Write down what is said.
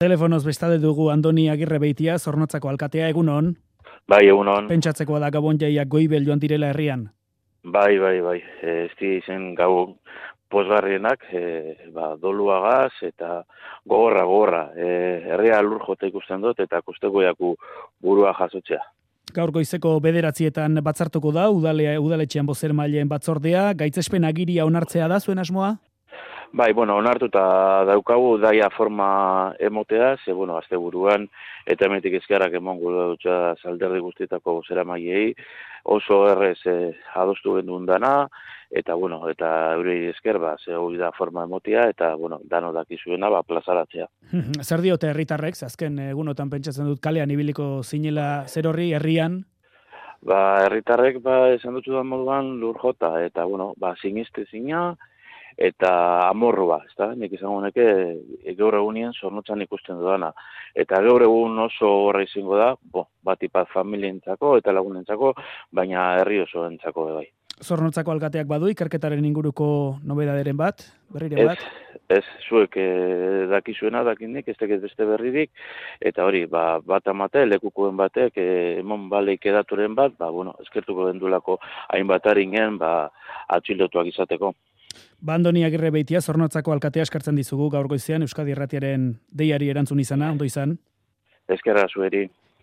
Telefonoz bestalde dugu Andoni Agirrebeitia, Zornotzako alkatea, egunon. Bai, egunon. Pentsatzekoa da Gabon jaiak goibel joan direla herrian. Bai. Ez zen gau pozgarrienak, doluagaz eta gogorra. Herria lur jota ikusten dut eta kusteko jaku burua jasotzea. Gaur goizeko 9:00 batzartuko da, udaletxean bozeramaileen batzordea, gaitzespen agiria onartzea da zuen asmoa? Bai, onartuta daukagu daia forma emotea, ze, asteburuan eta hemetik ezkerrak emongo dutxa alderdi guztietako bozeramaileei, oso errez adostu gendun dana, eta eurei esker, ze hori da forma emotea, eta, dano dakizuena, plazaratzea. Zer diote herritarrek, azken egunotan pentsatzen dut kalean ibiliko zinela zer horri herrian? Herritarrek, esan dutxu da moduan lur jota, eta, siniste zina, eta amorrua, ezta? Nik izango neke gaur egunien Zornotzan ikusten dudana. Eta gaur egun oso horra izango da, batipat familientzako eta lagunentzako, baina herri oso entzako bai. Zornotzako alkateak badu ikerketaren inguruko nobedaderen bat, berriren bat? Ez, zuek dakizuena dakinik, ez tekez beste berririk, eta hori, bat amate, lekukoen batek, emon baleik edaturen bat, eskertuko dendulako hainbat haringen, atxilotuak izateko. Andoni Agirrebeitia, Zornotzako alkatea eskartzen dizugu gaur goizean Euskadi Irratiaren deiari erantzun izana, ondo izan? Eskerra zueri.